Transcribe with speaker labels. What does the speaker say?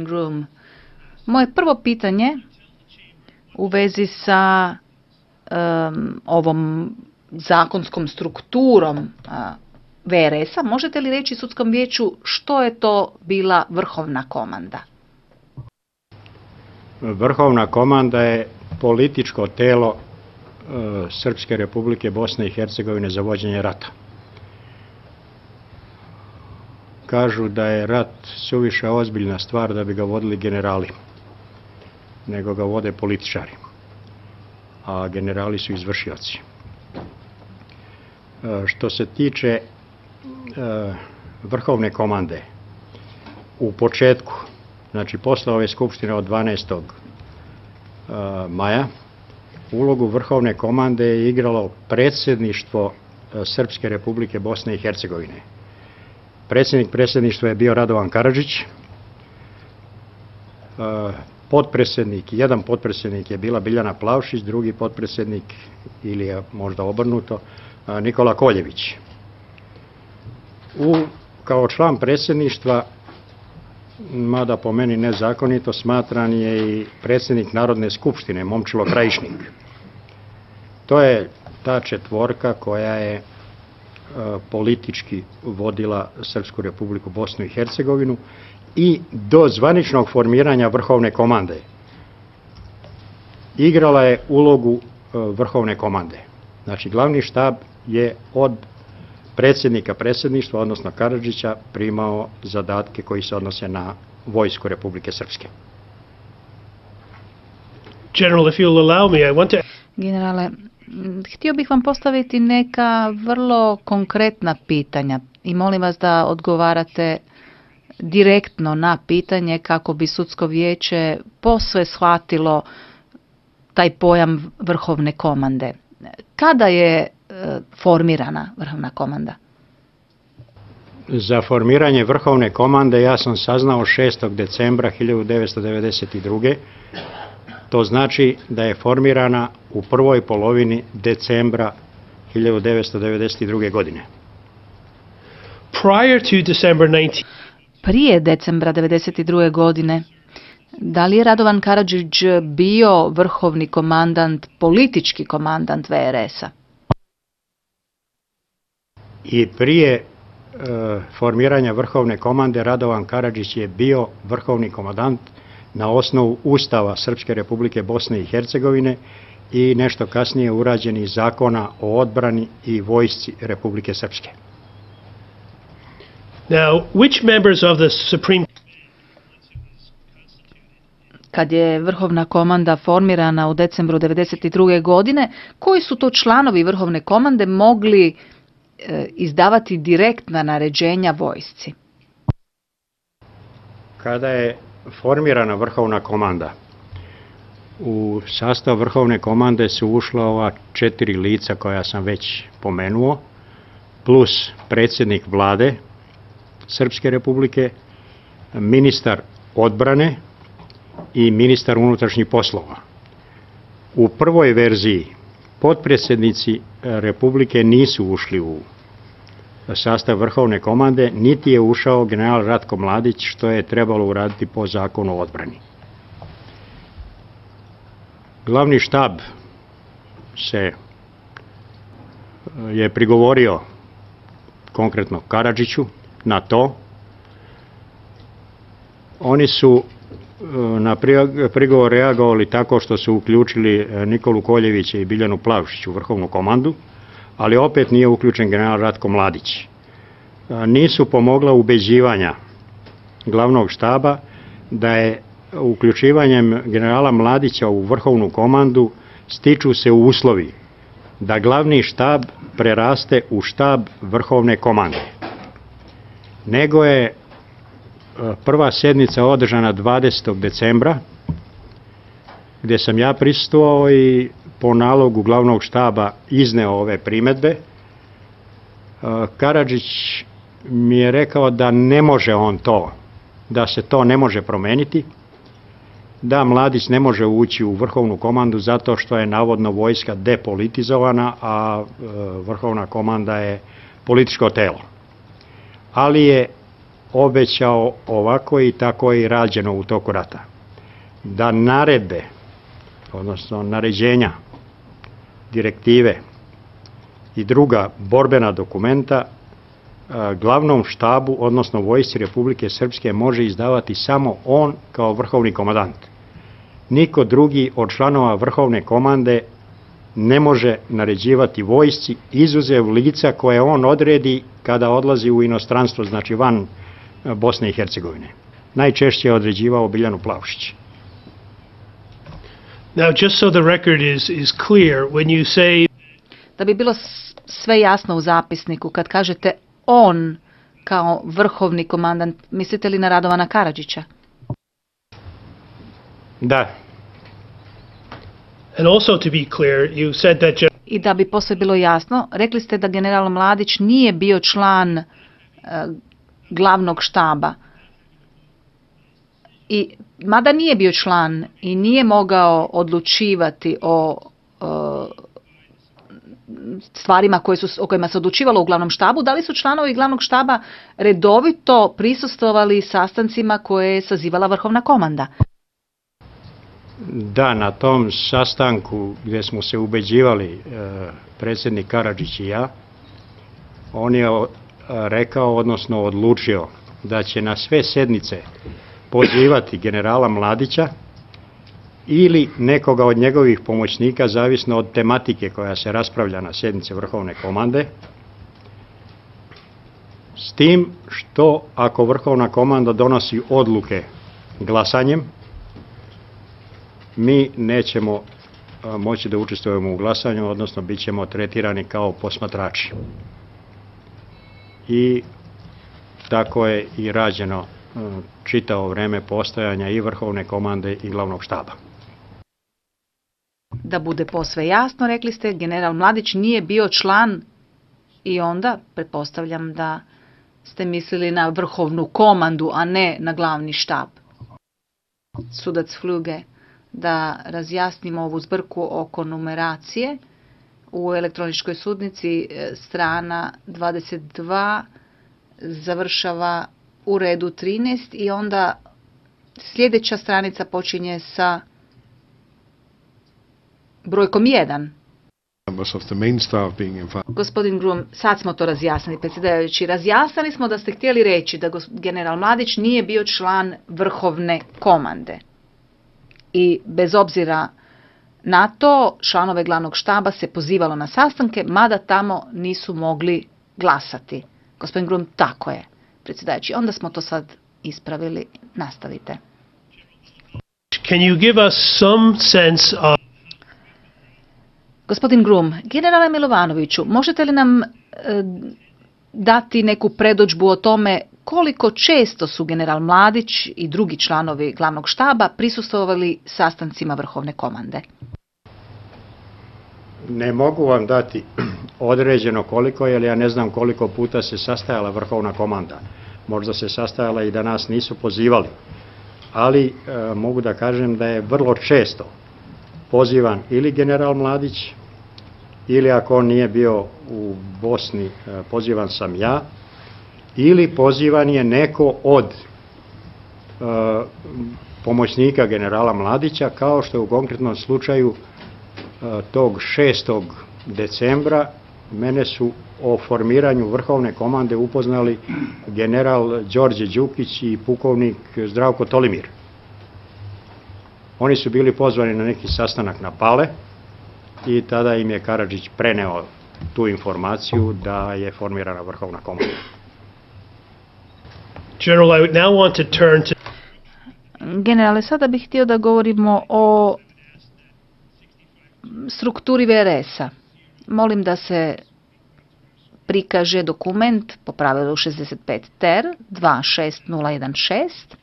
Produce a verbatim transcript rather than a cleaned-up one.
Speaker 1: Room. Moje prvo pitanje u vezi sa um, ovom zakonskom strukturom uh, V R S-a, možete li reći sudskom vijeću što je to bila vrhovna komanda?
Speaker 2: Vrhovna komanda je političko telo uh, Srpske Republike Bosne i Hercegovine za vođenje rata. Kažu da je rat suviše ozbiljna stvar da bi ga vodili generali, nego ga vode političari, a generali su izvršioci. Što se tiče e, vrhovne komande, u početku, znači posle ove skupštine od dvanaestog maja, ulogu vrhovne komande je igralo predsjedništvo Srpske Republike Bosne i Hercegovine. Predsjednik predsjedništva je bio Radovan Karadžić, potpredsjednik, jedan potpredsjednik je bila Biljana Plavšić, drugi potpredsjednik, ili je možda obrnuto, Nikola Koljević. U, kao član predsjedništva, mada po meni nezakonito, smatran je i predsjednik Narodne skupštine, Momčilo Krajišnik. To je ta četvorka koja je politički vodila Srpsku Republiku Bosnu i Hercegovinu i do zvaničnog formiranja vrhovne komande igrala je ulogu vrhovne komande. Znači, glavni štab je od predsjednika predsjedništva, odnosno Karadžića, primao zadatke koji se odnose na vojsku Republike Srpske.
Speaker 3: General, if you'll allow me, I want to...
Speaker 1: Generale, htio bih vam postaviti neka vrlo konkretna pitanja i molim vas da odgovarate direktno na pitanje kako bi sudsko vijeće posve shvatilo taj pojam vrhovne komande. Kada je e, formirana vrhovna komanda?
Speaker 2: Za formiranje vrhovne komande ja sam saznao šestog decembra hiljadu devetsto devedeset druge. To znači da je formirana u prvoj polovini decembra hiljadu devetsto devedeset druge. godine.
Speaker 3: Prior to December nineteenth...
Speaker 1: Prije decembra devedeset druge. godine, da li je Radovan Karadžić bio vrhovni komandant, politički komandant V R S-a?
Speaker 2: I prije e, formiranja vrhovne komande Radovan Karadžić je bio vrhovni komandant na osnovu Ustava Srpske Republike Bosne i Hercegovine i nešto kasnije urađenih zakona o odbrani i vojsci Republike Srpske.
Speaker 3: Now, which members of the Supreme...
Speaker 1: Kad je vrhovna komanda formirana u decembru devedeset druge. godine, koji su to članovi vrhovne komande mogli e, izdavati direktna naređenja vojsci?
Speaker 2: Kada je formirana vrhovna komanda, u sastav vrhovne komande su ušla ova četiri lica koja sam već pomenuo, plus predsjednik vlade Srpske Republike, ministar odbrane i ministar unutrašnjih poslova. U prvoj verziji potpredsjednici Republike nisu ušli u sastav vrhovne komande, niti je ušao general Ratko Mladić, što je trebalo uraditi po zakonu o odbrani. Glavni štab se je prigovorio konkretno Karadžiću na to. Oni su na prigovor reagovali tako što su uključili Nikolu Koljevića i Biljanu Plavšić u vrhovnu komandu, ali opet nije uključen general Ratko Mladić. Nisu pomogla ubeđivanja glavnog štaba da je uključivanjem generala Mladića u vrhovnu komandu stiču se uslovi da glavni štab preraste u štab vrhovne komande. Nego je prva sjednica održana dvadesetog decembra, gdje sam ja prisustvovao i po nalogu glavnog štaba izneo ove primedbe. Karadžić mi je rekao da ne može on to, da se to ne može promeniti, da Mladić ne može ući u vrhovnu komandu zato što je navodno vojska depolitizovana, a vrhovna komanda je političko telo. Ali je obećao ovako i tako je i rađeno u toku rata. Da naredbe, odnosno naređenja, direktive i druga borbena dokumenta glavnom štabu, odnosno vojsci Republike Srpske može izdavati samo on kao vrhovni komandant. Niko drugi od članova vrhovne komande ne može naređivati vojsci, izuzev lica koje on odredi kada odlazi u inostranstvo, znači van Bosne i Hercegovine. Najčešće je određivao Biljanu Plavšić.
Speaker 3: Now, just so the record is, is clear, when you say...
Speaker 1: Da bi bilo sve jasno u zapisniku, kad kažete on kao vrhovni komandant, mislite li na Radovana Karadžića?
Speaker 2: Da.
Speaker 3: And also to be clear, you said that...
Speaker 1: I da bi posle bilo jasno, rekli ste da general Mladić nije bio član uh, glavnog štaba. I mada nije bio član i nije mogao odlučivati o uh, stvarima koje su, o kojima se odlučivalo u glavnom štabu, da li su članovi glavnog štaba redovito prisustvovali sastancima koje je sazivala vrhovna komanda?
Speaker 2: Da, na tom sastanku gdje smo se ubeđivali, e, predsjednik Karadžić i ja, on je rekao, odnosno odlučio da će na sve sednice pozivati generala Mladića ili nekoga od njegovih pomoćnika, zavisno od tematike koja se raspravlja na sjednici vrhovne komande, s tim što ako vrhovna komanda donosi odluke glasanjem, mi nećemo moći da učestvujemo u glasanju, odnosno bit ćemo tretirani kao posmatrači. I tako je i rađeno čitavo vreme postojanja i vrhovne komande i glavnog štaba.
Speaker 1: Da bude posve jasno, rekli ste, general Mladić nije bio član i onda pretpostavljam da ste mislili na vrhovnu komandu, a ne na glavni štab. Sudac Fluge, da razjasnimo ovu zbrku oko numeracije. U elektroničkoj sudnici strana dvadeset dva završava u redu trinaest i onda sljedeća stranica počinje sa brojkom jedan. Gospodin Grum, sad smo to razjasnili, predsjedavajući. Razjasnili smo da ste htjeli reći da general Mladić nije bio član vrhovne komande. I bez obzira na to, članove glavnog štaba se pozivalo na sastanke, mada tamo nisu mogli glasati. Gospodin Grum, tako je, predsjedavajući. Onda smo to sad ispravili. Nastavite.
Speaker 3: Can you give us some sense of...
Speaker 1: Gospodin Grum, generale Milovanoviću, možete li nam e, dati neku predodžbu o tome koliko često su general Mladić i drugi članovi glavnog štaba prisustvovali sastancima vrhovne komande?
Speaker 2: Ne mogu vam dati određeno koliko, jer ja ne znam koliko puta se sastajala vrhovna komanda. Možda se sastajala i da nas nisu pozivali. Ali e, mogu da kažem da je vrlo često pozivan ili general Mladić, ili ako on nije bio u Bosni, e, pozivan sam ja, ili pozivan je neko od e, pomoćnika generala Mladića, kao što je u konkretnom slučaju e, tog šestog decembra mene su o formiranju vrhovne komande upoznali general Đorđe Đukić i pukovnik Zdravko Tolimir. Oni su bili pozvani na neki sastanak na Pale i tada im je Karadžić preneo tu informaciju da je formirana vrhovna komanda.
Speaker 3: General, I now want to turn to...
Speaker 1: Generale, sada bih htio da govorimo o strukturi V R S-a. Molim da se prikaže dokument po pravilu šezdeset pet ter dva šest nula jedan šest.